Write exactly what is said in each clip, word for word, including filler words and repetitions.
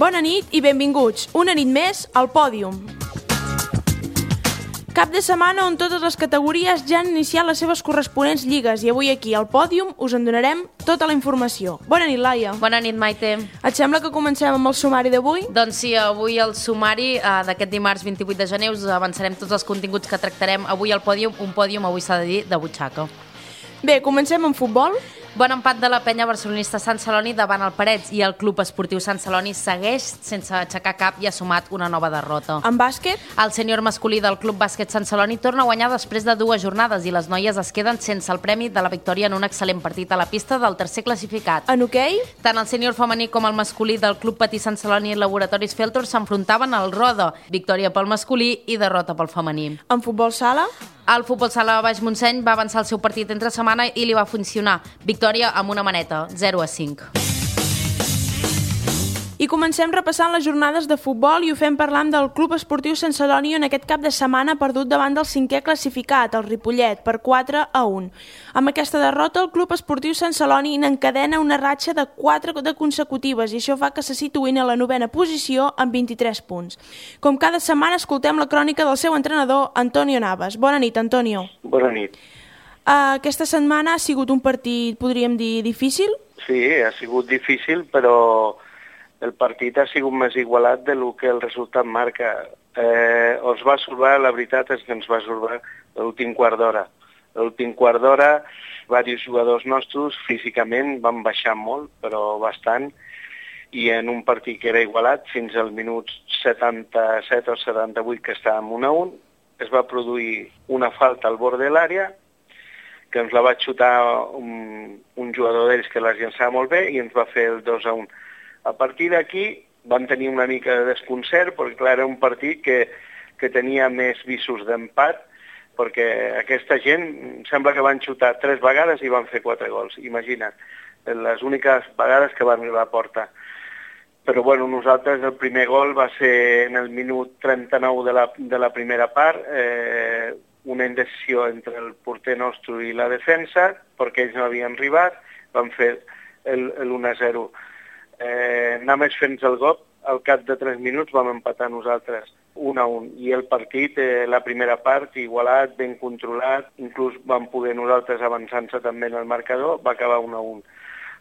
Bona nit i benvinguts, una nit més al Pòdium. Cap de setmana on totes les categories ja han iniciat les seves corresponents lligues i avui aquí al Pòdium us en donarem tota la informació. Bona nit, Laia. Bona nit, Maite. Et sembla que comencem amb el sumari d'avui? Doncs sí, avui el sumari eh, d'aquest dimarts vint-i-vuit de gener us avançarem tots els continguts que tractarem avui al Pòdium, un pòdium, avui s'ha de dir, de butxaca. Bé, comencem amb futbol. Bon empat de la penya barcelonista Sant Celoni davant el Parets i el Club Esportiu Sant Celoni segueix sense aixecar cap i ha sumat una nova derrota. En bàsquet? El sènior masculí del Club Bàsquet Sant Celoni torna a guanyar després de dues jornades i les noies es queden sense el premi de la victòria en un excel·lent partit a la pista del tercer classificat. En hoquei? Tant el sènior femení com el masculí del Club Patí Sant Celoni i Laboratoris Feltor s'enfrontaven al Roda, victòria pel masculí i derrota pel femení. En futbol sala? El futbol sala Baix Montseny va avançar el seu partit entre setmana i li va funcionar. Victòria amb una maneta, zero a cinc. I comencem repassant les jornades de futbol i ho fem parlant del Club Esportiu Sant Celoni en aquest cap de setmana ha perdut davant del cinquè classificat, el Ripollet, per quatre a un. Amb aquesta derrota, el Club Esportiu Sant Celoni n'encadena una ratxa de quatre de consecutives i això fa que se situïn a la novena posició amb vint-i-tres punts. Com cada setmana escoltem la crònica del seu entrenador, Antonio Navas. Bona nit, Antonio. Bona nit. Uh, aquesta setmana ha sigut un partit, podríem dir, difícil? Sí, ha sigut difícil, però el partit ha sigut més igualat del que el resultat marca. Eh, ens va salvar, la veritat és que ens va salvar l'últim quart d'hora. L'últim quart d'hora, diversos jugadors nostres físicament van baixar molt, però bastant, i en un partit que era igualat, fins al minut setanta-set o setanta-vuit, que estàvem un a un, es va produir una falta al bord de l'àrea, que ens la va xutar un, un jugador d'ells que la llançava molt bé i ens va fer el dos a un. A partir d'aquí van tenir una mica de desconcert, perquè clar, era un partit que, que tenia més visos d'empat, perquè aquesta gent sembla que van xutar tres vegades i van fer quatre gols. Imagina't, les úniques vegades que van arribar a porta. Però bueno, nosaltres el primer gol va ser en el minut trenta-nou de la, de la primera part, eh, una indecisió entre el porter nostre i la defensa, perquè ells no havien arribat, van fer l'un a zero. Eh, només fent el gol, al cap de tres minuts vam empatar nosaltres un a un. I el partit, eh, la primera part, igualat, ben controlat, inclús vam poder nosaltres avançant-se també en el marcador, va acabar un a un.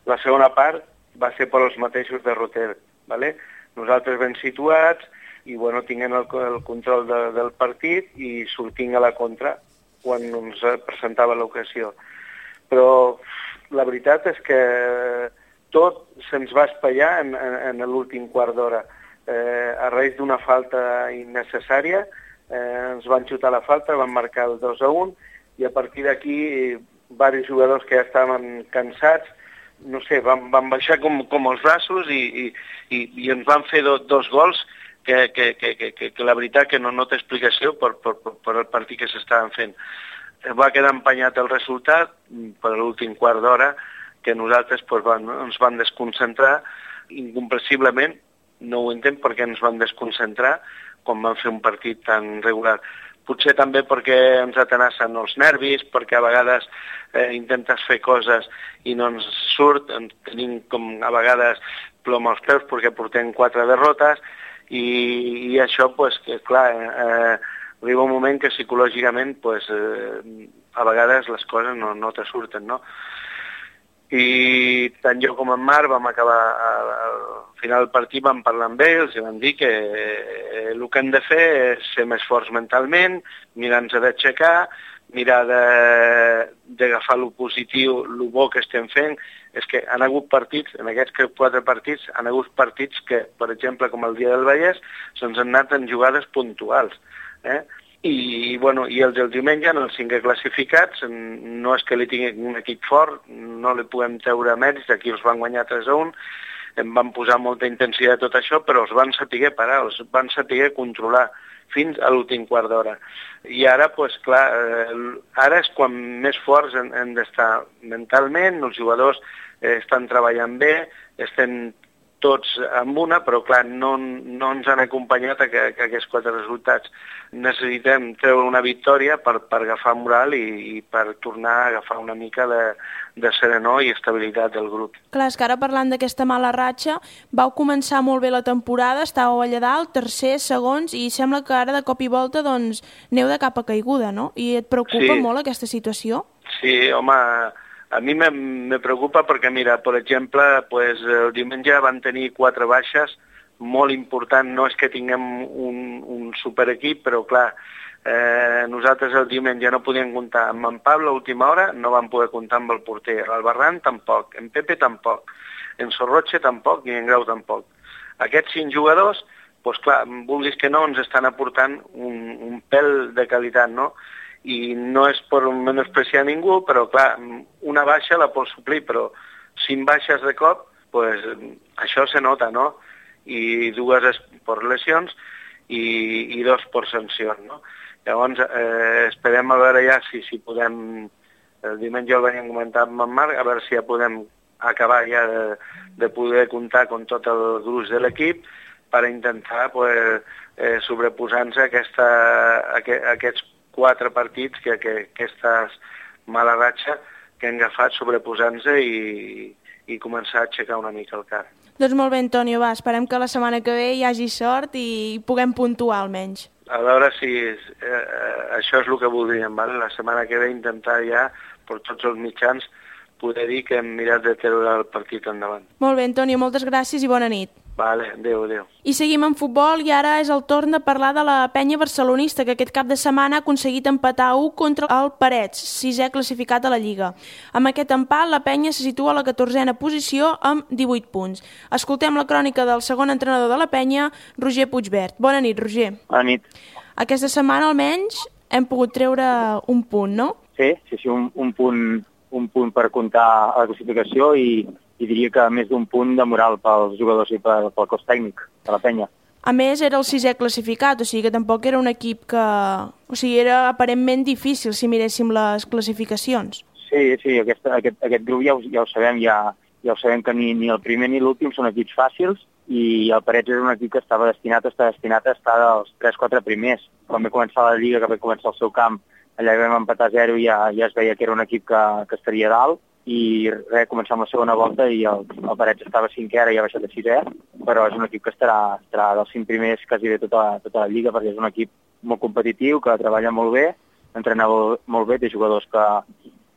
La segona part va ser per als mateixos de Roter, ¿vale? Nosaltres ben situats, i bueno, tinguent el, el control de, del partit i sortint a la contra quan ens presentava l'ocasió. Però la veritat és que tot se'ns va espaiar en, en, en l'últim quart d'hora. Eh, a raïs d'una falta innecessària, eh, ens van xutar la falta, van marcar el dos a un, i a partir d'aquí, diversos jugadors que ja estaven cansats, no sé, van, van baixar com, com els braços i, i, i, i ens van fer do, dos gols que, que, que, que, que la veritat que no, no té explicació per, per, per el partit que s'estaven fent. Va quedar empenyat el resultat per l'últim quart d'hora, que nosaltres pues, van, ens van desconcentrar incomprensiblement, no ho entenc perquè ens van desconcentrar quan van fer un partit tan regular. Potser també perquè ens atenassen els nervis, perquè a vegades eh, intentes fer coses i no ens surt, tenim com a vegades plom als peus perquè portem quatre derrotes i, i això, pues, que, clar, eh, arriba un moment que psicològicament pues, eh, a vegades les coses no, no te surten, no? I tant jo com en Marc vam acabar, al final del partit vam parlar amb ells i vam dir que el que hem de fer és ser més forts mentalment, mirar-nos d'aixecar, mirar d'agafar el positiu, el bo que estem fent. És que han hagut partits, en aquests quatre partits, han hagut partits que, per exemple, com el dia del Vallès, se'ns han anat en jugades puntuals, eh? I, bueno, i els del diumenge, en els cinquè classificats, no és que li tingui un equip fort, no li puguem treure mèrits, aquí els van guanyar tres a un, em van posar molta intensitat a tot això, però els van saber parar, els van saber controlar fins a l'últim quart d'hora. I ara, doncs clar, ara és quan més forts hem, hem d'estar mentalment, els jugadors eh, estan treballant bé, estem tots amb una, però clar, no, no ens han acompanyat a, que, a aquests quatre resultats. Necessitem treure una victòria per, per agafar moral i, i per tornar a agafar una mica de, de serenor i estabilitat del grup. Clar, és que ara parlant d'aquesta mala ratxa, vau començar molt bé la temporada, estàveu allà dalt, tercers, segons, i sembla que ara de cop i volta doncs, aneu de capa caiguda, no? I et preocupa sí. molt aquesta situació? Sí, home, a mi me, me preocupa perquè, mira, per exemple, pues, el diumenge van tenir quatre baixes, molt important, no és que tinguem un, un superequip, però clar, eh, nosaltres el diumenge no podíem comptar amb en Pablo a última hora, no vam poder comptar amb el porter, el Barran tampoc, en Pepe tampoc, en Sorroche tampoc i en Grau tampoc. Aquests cinc jugadors, pues clar, vulguis que no, ens estan aportant un, un pèl de qualitat, no? I no és per menospreciar ningú, però clar, una baixa la pots suplir, però cinc baixes de cop, pues, això se nota, no? I dues per lesions i, i dos per sancions, no? Llavors, eh, esperem a veure ja si, si podem, el diumenge el venim comentant amb en Marc, a veure si ja podem acabar ja de, de poder comptar amb tot el gruix de l'equip per intentar pues, eh, sobreposar-nos a, aquesta, a, que, a aquests quatre partits que, que aquesta mala ratxa que hem agafat sobreposant-nos i, i començar a aixecar una mica el cap. Doncs molt bé, Antonio, va, esperem que la setmana que ve hi hagi sort i puguem puntuar almenys. A veure si eh, això és el que voldríem, vale? La setmana que ve intentar ja, per tots els mitjans, poder dir que hem mirat de treure el partit endavant. Molt bé, Antonio, moltes gràcies i bona nit. Vale, adéu, adéu. I seguim en futbol i ara és el torn de parlar de la penya barcelonista que aquest cap de setmana ha aconseguit empatar a u contra el Parets, sisè classificat a la Lliga. Amb aquest empat la penya se situa a la catorzena posició amb divuit punts. Escoltem la crònica del segon entrenador de la penya, Roger Puigvert. Bona nit, Roger. Bona nit. Aquesta setmana almenys hem pogut treure un punt, no? Sí, sí, sí un, un, punt, un punt per comptar a la classificació i i diria que més d'un punt de moral pels jugadors i pel, pel cos tècnic de la penya. A més, era el sisè classificat, o sigui que tampoc era un equip que... O sigui, era aparentment difícil si miréssim les classificacions. Sí, sí, aquesta, aquest, aquest grup ja ho, ja ho sabem, ja, ja ho sabem que ni, ni el primer ni l'últim són equips fàcils i el Parets és un equip que estava destinat, està destinat a estar dels tres quatre primers. Quan va començar la Lliga, que va començar el seu camp, allà vam empatar a zero i ja, ja es veia que era un equip que, que estaria dalt. I res, començar amb la segona volta i el, el Parets estava cinquè, ara ja ha baixat a sisè, però és un equip que estarà, estarà dels cinc primers quasi de tota, tota la Lliga, perquè és un equip molt competitiu, que treballa molt bé, entrena molt bé, té jugadors que,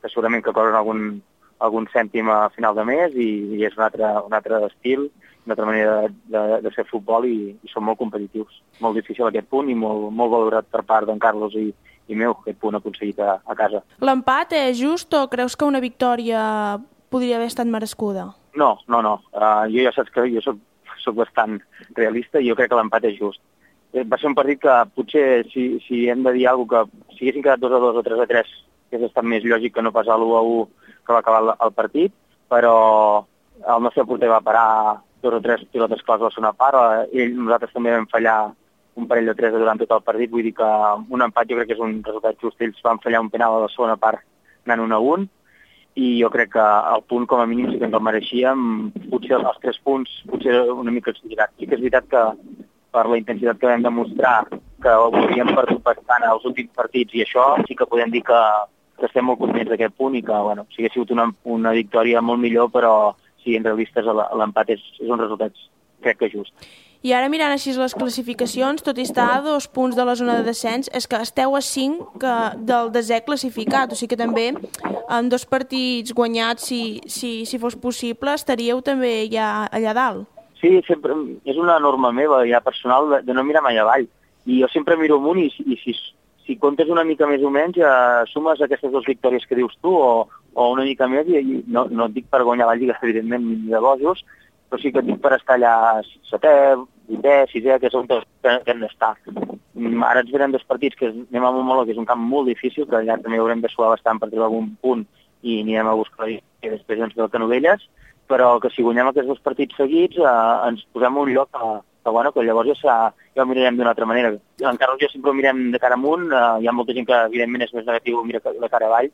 que segurament que cobren algun, algun cèntim a final de mes i, i és un altre, un altre estil, una altra manera de, de, de fer futbol i, i són molt competitius. Molt difícil aquest punt i molt, molt valorat per part d'en Carlos i i meu, aquest punt aconseguit a, a casa. L'empat és just o creus que una victòria podria haver estat merescuda? No, no, no. Uh, jo ja saps que jo soc, soc bastant realista i jo crec que l'empat és just. Va ser un partit que potser, si, si hem de dir alguna cosa, que si haguessin quedat dos a dos o tres a tres, hauria estat més lògic que no pas a l'u a u que va acabar el, el partit, però el nostre porter va parar dos o tres pilotes claus a la segona part, ell, nosaltres també vam fallar un parell de tres durant tot el partit, vull dir que un empat jo crec que és un resultat just. Ells van fallar un penal a la segona part anant un a un i jo crec que el punt com a mínim sí que ens el mereixíem, potser els tres punts potser una mica exagerat. Sí que és veritat que per la intensitat que vam demostrar que ho havíem perdut bastant als últims partits i això sí que podem dir que, que estem molt contents d'aquest punt i que bueno, sí que ha sigut una, una victòria molt millor, però siguin realistes l'empat és, és un resultat crec que just. I ara mirant així les classificacions, tot i estar a dos punts de la zona de descens, és que esteu a cinc que del desè classificat, o sigui que també amb dos partits guanyats, si, si, si fos possible, estaríeu també ja allà dalt. Sí, sempre, és una norma meva, ja personal, de, de no mirar mai avall. I jo sempre miro amunt i, i si, si comptes una mica més o menys, ja sumes aquestes dues victòries que dius tu o, o una mica més, i, i no, no et dic per guanyar la Lliga, evidentment, ni de bojos, però sí que et dic per estar allà setè, vuitè, sisè, que és on que, que hem d'estar. Ara ens venen dos partits que anem a Montmeló, que és un camp molt difícil, que allà també haurem de suar bastant per treure algun punt i anirem a buscar i després ens ve el Canovelles, però que si guanyem aquests dos partits seguits eh, ens posem un lloc que, que, bueno, que llavors ja, serà, ja ho mirarem d'una altra manera. Encara jo sempre ho mirem de cara amunt, eh, hi ha molta gent que evidentment és més negatiu, mira de cara avall,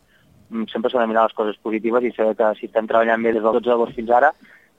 sempre s'ha de mirar les coses positives i saber que si estem treballant bé des del dotze d'agost fins ara,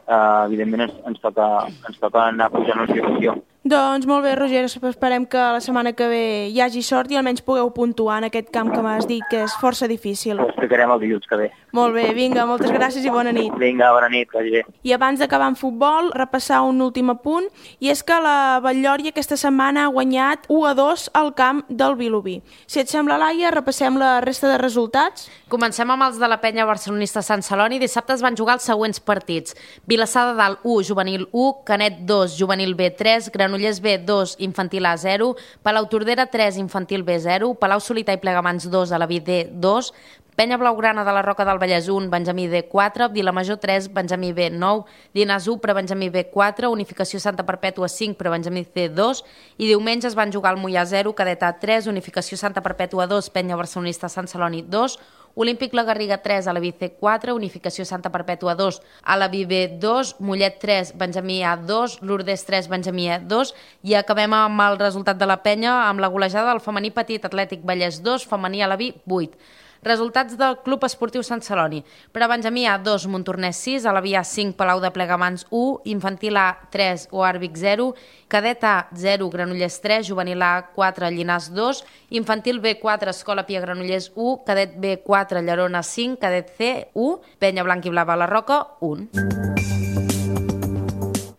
uh, evidentment ens, ens, toca, ens toca anar pujant la situació. Doncs molt bé, Roger, esperem que la setmana que ve hi hagi sort i almenys pugueu puntuar en aquest camp que m'has dit que és força difícil. Ho explicarem el dilluns que ve. Molt bé, vinga, moltes gràcies i bona nit. Vinga, bona nit, que vagi bé. I abans d'acabar en futbol, repassar un últim apunt, i és que la Batllòria aquesta setmana ha guanyat u a dos al camp del Vilobí. Si et sembla, Laia, repassem la resta de resultats. Comencem amb els de la penya barcelonista Sant Celoni. Dissabte es van jugar els següents partits. Vilassar de Dalt u, Juvenil u, Canet dos, Juvenil B tres, Granollers B dos, Infantil A zero, Palau Tordera tres, Infantil B zero, Palau Solità i Plegamans dos, Alaví D dos, Penya Blaugrana de la Roca del Vallès un, Benjamí D quatre, Vilamajor tres, Benjamí B nou, Llinars u, Prebenjamí B quatre, Unificació Santa Perpètua cinc, Prebenjamí C dos, i diumenge es van jugar el Moià zero, Cadet A tres, Unificació Santa Perpètua dos, Penya Barcelonista Sant Celoni dos, Olímpic La Garriga tres, Alaví C quatre, Unificació Santa Perpètua dos, Alaví B dos, Mollet tres, Benjamí A dos, Lourdes tres, Benjamí E dos, i acabem amb el resultat de la penya amb la golejada del femení petit Atlètic Vallès dos, femení Alaví vuit. Resultats del Club Esportiu Sant Celoni. Per a Benjamí A dos, Montornès sis, Alaví A cinc, Palau de Plegamans u, Infantil A tres, Oarvic zero, Cadet A zero, Granollers tres, Juvenil A quatre, Llinars dos, Infantil B quatre, Escola Pia Granollers u, Cadet B quatre, Llerona cinc, Cadet C u, Penya Blanc i Blava la Roca un.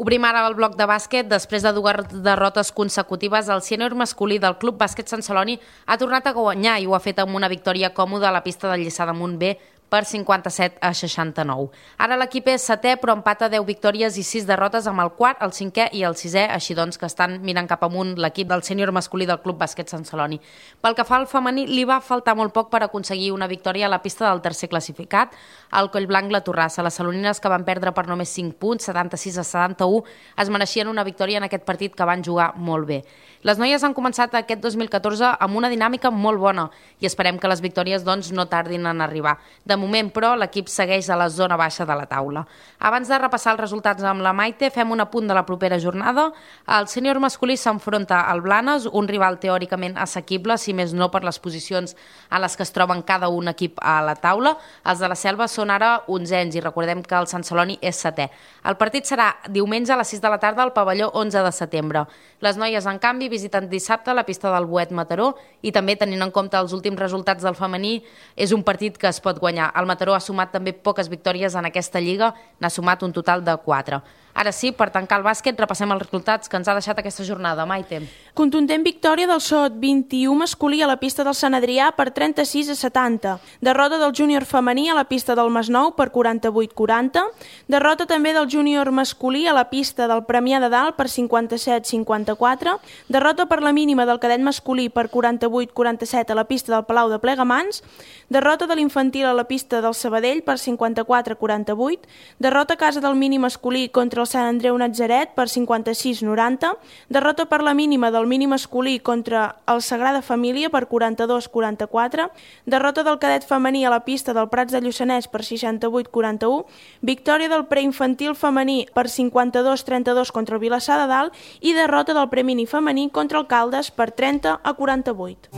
Obrim ara el bloc de bàsquet. Després de dues derrotes consecutives, el sènior masculí del Club Bàsquet Sant Celoni ha tornat a guanyar i ho ha fet amb una victòria còmoda a la pista del Lliçà d'Amunt B per cinquanta-set a seixanta-nou. Ara l'equip és setè, però empata deu victòries i sis derrotes amb el quart, el cinquè i el sisè, així doncs que estan mirant cap amunt l'equip del sènior masculí del Club Bàsquet Sant Celoni. Pel que fa al femení, li va faltar molt poc per aconseguir una victòria a la pista del tercer classificat, el Collblanc La Torrassa. Les salonines, que van perdre per només cinc punts, setanta-sis a setanta-u, es mereixien una victòria en aquest partit que van jugar molt bé. Les noies han començat aquest dos mil catorze amb una dinàmica molt bona i esperem que les victòries doncs, no tardin en arribar. De moment, però, l'equip segueix a la zona baixa de la taula. Abans de repassar els resultats amb la Maite, fem un apunt de la propera jornada. El sènior masculí s'enfronta al Blanes, un rival teòricament assequible, si més no per les posicions en les que es troben cada un equip a la taula. Els de la Selva són ara onzens i recordem que el Sant Celoni és setè. El partit serà diumenge a les sis de la tarda al pavelló onze de setembre. Les noies, en canvi, visiten dissabte la pista del Boet Mataró i també, tenint en compte els últims resultats del femení, és un partit que es pot guanyar. El Mataró ha sumat també poques victòries en aquesta lliga, n'ha sumat un total de quatre. Ara sí, per tancar el bàsquet, repassem els resultats que ens ha deixat aquesta jornada. Maite. Contundent victòria del Sot vint i u masculí a la pista del Sant Adrià per trenta-sis a setanta. Derrota del júnior femení a la pista del Masnou per quaranta-vuit a quaranta. Derrota també del júnior masculí a la pista del Premià de Dalt per cinquanta-set a cinquanta-quatre. Derrota per la mínima del cadet masculí per quaranta-vuit a quaranta-set a la pista del Palau de Plegamans. Derrota de l'infantil a la pista del Sabadell per cinquanta-quatre a quaranta-vuit. Derrota a casa del mini masculí contra el Sant Andreu Natzaret per cinquanta-sis a noranta. Derrota per la mínima del mini masculí contra el Sagrada Família per quaranta-dos a quaranta-quatre. Derrota del cadet femení a la pista del Prats de Lluçanès per seixanta-vuit a quaranta-u. Victòria del preinfantil femení per cinquanta-dos a trenta-dos contra el Vilassar de Dalt i derrota del premini femení contra el Caldes per trenta a quaranta-vuit.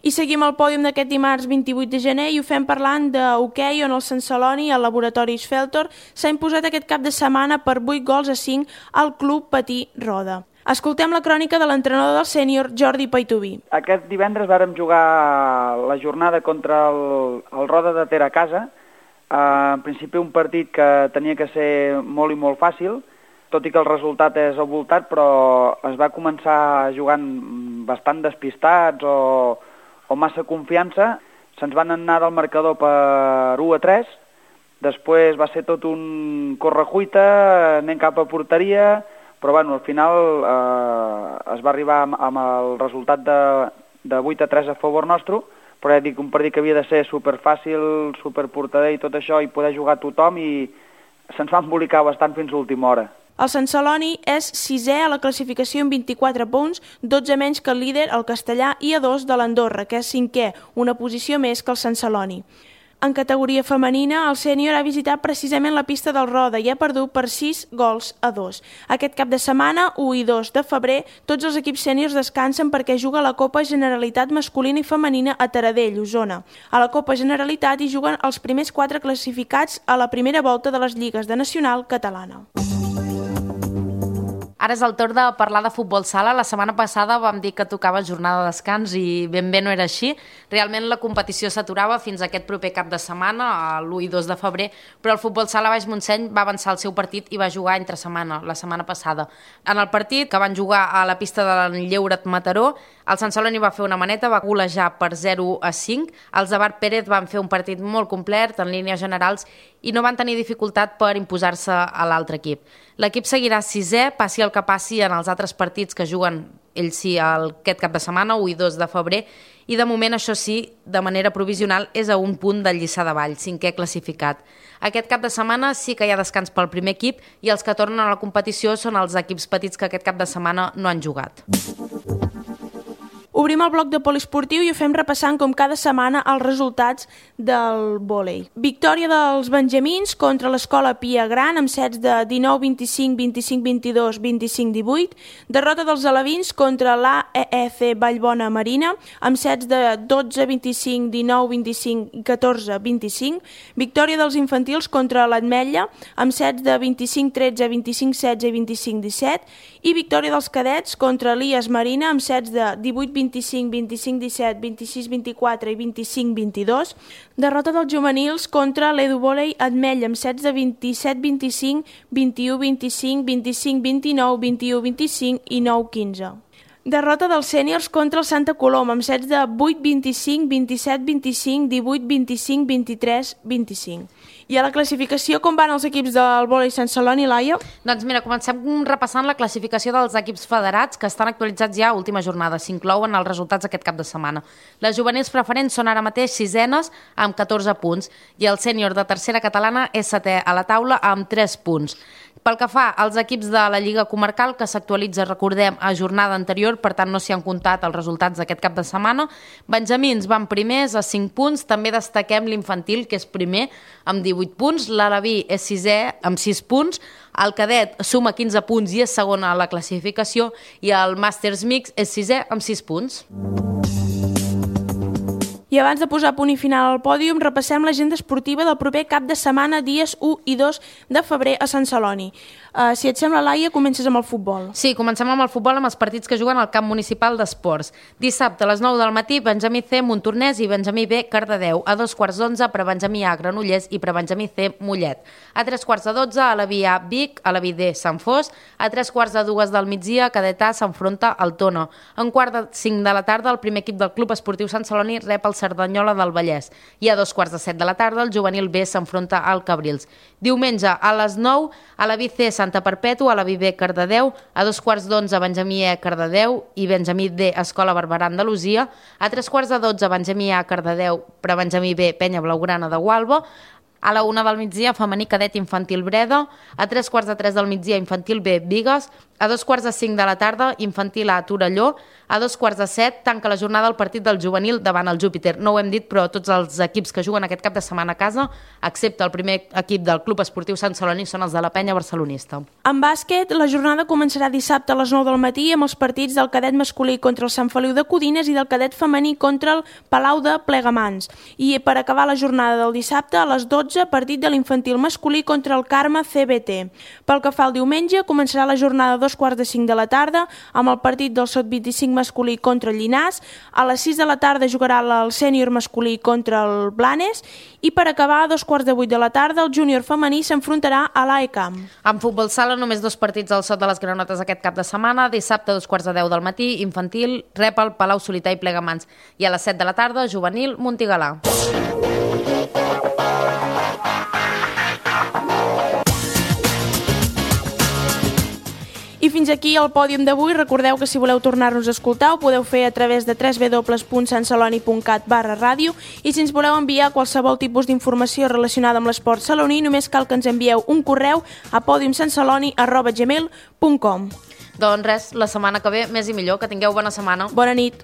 I seguim el pòdium d'aquest dimarts vint-i-vuit de gener i ho fem parlant d'hoquei, on el Sant Celoni, al laboratori Sfeltor, s'ha imposat aquest cap de setmana per vuit gols a cinc al Club Patí Roda. Escoltem la crònica de l'entrenador del sènior, Jordi Paitubí. Aquest divendres vàrem jugar la jornada contra el, el Roda de Ter a casa. Uh, en principi un partit que tenia que ser molt i molt fàcil, tot i que el resultat és avoltat, però es va començar jugant bastant despistats o... o massa confiança, se'ns van anar del marcador per u a tres, després va ser tot un correcuita, anem cap a porteria, però bueno, al final eh, es va arribar amb, amb el resultat de, de vuit a tres a favor nostre, però ja dic, un partit que havia de ser superfàcil, superportader i tot això, i poder jugar tothom, i se'ns va embolicar bastant fins a l'última hora. El Sant Celoni és sisè a la classificació amb vint-i-quatre punts, dotze menys que el líder, el Castellà, i a dos de l'Andorra, que és cinquè, una posició més que el Sant Celoni. En categoria femenina, el sènior ha visitat precisament la pista del Roda i ha perdut per sis gols a dos. Aquest cap de setmana, u i dos de febrer, tots els equips sèniors descansen perquè juga la Copa Generalitat masculina i femenina a Taradell, Osona. A la Copa Generalitat hi juguen els primers quatre classificats a la primera volta de les lligues de Nacional catalana. Ara és el torn de parlar de futbol sala. La setmana passada vam dir que tocava jornada de descans i ben bé no era així. Realment la competició s'aturava fins a aquest proper cap de setmana, l'u i dos de febrer, però el futbol sala Baix Montseny va avançar el seu partit i va jugar entre setmana, la setmana passada. En el partit, que van jugar a la pista de l'Enlleuret Mataró, el Sant Celoni va fer una maneta, va golejar per zero a cinc. Els de Bar Pérez van fer un partit molt complet en línies generals i no van tenir dificultat per imposar-se a l'altre equip. L'equip seguirà sisè, passi el que passi en els altres partits que juguen ells sí aquest cap de setmana, u i dos de febrer, i de moment això sí, de manera provisional, és a un punt del Lliçà de Vall, cinquè classificat. Aquest cap de setmana sí que hi ha descans pel primer equip i els que tornen a la competició són els equips petits que aquest cap de setmana no han jugat. Obrim el bloc de poliesportiu i ho fem repassant com cada setmana els resultats del vòlei. Victòria dels benjamins contra l'Escola Pia Gran amb sets de dinou vint-i-cinc, vint-i-cinc vint-i-dos, vint-i-cinc divuit. Derrota dels alevins contra l'A E E C Vallbona Marina amb sets de dotze vint-i-cinc, dinou vint-i-cinc i catorze vint-i-cinc. Victòria dels infantils contra l'Ametlla amb sets de vint-i-cinc tretze, vint-i-cinc setze i vint-i-cinc disset. I victòria dels cadets contra l'I A S Marina amb sets de divuit vint-i-cinc, vint-i-cinc disset, vint-i-sis vint-i-quatre i vint-i-cinc vint-i-dos. Derrota dels juvenils contra l'Eduvòlei Ametlla amb sets de vint-i-set vint-i-cinc, vint-i-u vint-i-cinc, vint-i-cinc vint-i-nou, vint-i-u vint-i-cinc i nou quinze. Derrota dels sèniors contra el Santa Coloma amb sets de vuit vint-i-cinc, vint-i-set vint-i-cinc, divuit vint-i-cinc, vint-i-tres vint-i-cinc. I a la classificació, com van els equips del vòlei Sant Celoni, Laia? Doncs mira, comencem repassant la classificació dels equips federats que estan actualitzats ja a última jornada. S'inclouen els resultats aquest cap de setmana. Les juvenils preferents són ara mateix sisenes amb catorze punts i el sènior de tercera catalana és setè a la taula amb tres punts. Pel que fa als equips de la Lliga Comarcal, que s'actualitza, recordem, a jornada anterior, per tant no s'hi han comptat els resultats d'aquest cap de setmana, benjamins van primers a cinc punts, també destaquem l'infantil, que és primer, amb divuit punts, l'Alaví és sisè amb sis punts, el cadet suma quinze punts i és segon a la classificació, i el Màsters Mix és sisè amb sis punts. I abans de posar punt i final al pòdium, repassem l'agenda esportiva del proper cap de setmana, dies u i dos de febrer a Sant Celoni. Uh, si et sembla, Laia, comences amb el futbol. Sí, comencem amb el futbol, amb els partits que juguen al camp municipal d'esports. Dissabte a les nou del matí, Benjamí C, Montornès i Benjamí B, Cardedeu. A dos quarts d'onze, Prebenjamí A, Granollers i Prebenjamí C, Mollet. A tres quarts de dotze, a la Via Vic, a la V D, Sant Fos. A tres quarts de dues del migdia, Cadet A s'enfronta al Tona. A un quart de cinc de la tarda, el primer equip del Club Esportiu Sant Celoni rep el Cerdanyola del Vallès. I a dos quarts de set de la tarda, el juvenil B s'enfronta al Cabrils. Diumenge, a les nou, a la V C Santa Perpètua, a la V B Cardedeu, a dos quarts d'onze, Benjamí E Cardedeu i Benjamí D Escola Barberà Andalusia, a tres quarts de dotze, Benjamí A Cardedeu, Prebenjamí B Penya Blaugrana de Gualba, a la una del migdia, femení cadet infantil Breda, a tres quarts de tres del migdia, infantil B Bigues, a dos quarts de cinc de la tarda, infantil A Torelló, a dos quarts de set, tanca la jornada el partit del juvenil davant el Júpiter. No ho hem dit, però tots els equips que juguen aquest cap de setmana a casa, excepte el primer equip del Club Esportiu Sant Celoni, són els de la Penya Barcelonista. En bàsquet, la jornada començarà dissabte a les nou del matí amb els partits del cadet masculí contra el Sant Feliu de Codines i del cadet femení contra el Palau de Plegamans. I per acabar la jornada del dissabte, a les dotze, partit de l'infantil masculí contra el Carme C B T. Pel que fa al diumenge, començarà la jornada a dos quarts de cinc de la tarda amb el partit del sot vint-i-cinc masculí contra el Llinars. A les sis de la tarda jugarà el sènior masculí contra el Blanes i per acabar a dos quarts de vuit de la tarda el júnior femení s'enfrontarà a l'A E Camp. En futbol sala només dos partits al Sot de les Granotes aquest cap de setmana. Dissabte a dos quarts de deu del matí, infantil rep el Palau Solità i Plegamans i a les set de la tarda juvenil Montigalà. I fins aquí el pòdium d'avui. Recordeu que si voleu tornar-nos a escoltar ho podeu fer a través de w w w punt santceloni punt cat barra ràdio i si ens voleu enviar qualsevol tipus d'informació relacionada amb l'esport saloní només cal que ens envieu un correu a podiumsantceloni arroba gmail punt com. Doncs res, la setmana que ve més i millor, que tingueu bona setmana. Bona nit.